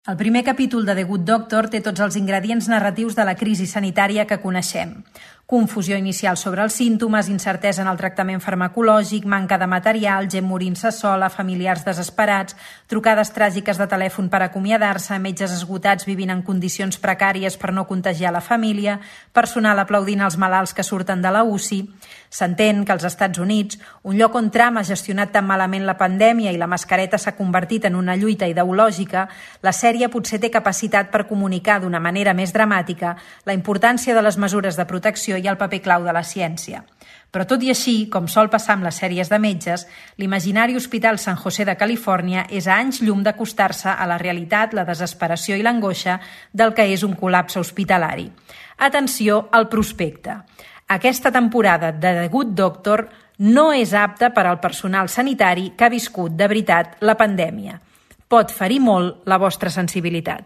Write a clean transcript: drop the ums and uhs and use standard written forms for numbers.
El primer capítol de The Good Doctor té tots els ingredients narratius de la crisi sanitària que coneixem. Confusió inicial sobre els símptomes, incertesa en el tractament farmacològic, manca de material, gent morint-se sola, familiars desesperats, trucades tràgiques de telèfon per acomiadar-se, metges esgotats vivint en condicions precàries per no contagiar la família, personal aplaudint els malalts que surten de la UCI. S'entén que als Estats Units, un lloc on Trump ha gestionat tan malament la pandèmia i la mascareta s'ha convertit en una lluita ideològica, la sèrie potser té capacitat per comunicar d'una manera més dramàtica la importància de les mesures de protecció i el paper clau de la ciència. Però tot i així, com sol passar amb les sèries de metges, l'imaginari Hospital San José de Califòrnia és a anys llum d'acostar-se a la realitat, la desesperació i l'angoixa del que és un col·lapse hospitalari. Atenció al prospecte. Aquesta temporada de The Good Doctor no és apta per al personal sanitari que ha viscut de veritat la pandèmia. Pot ferir molt la vostra sensibilitat.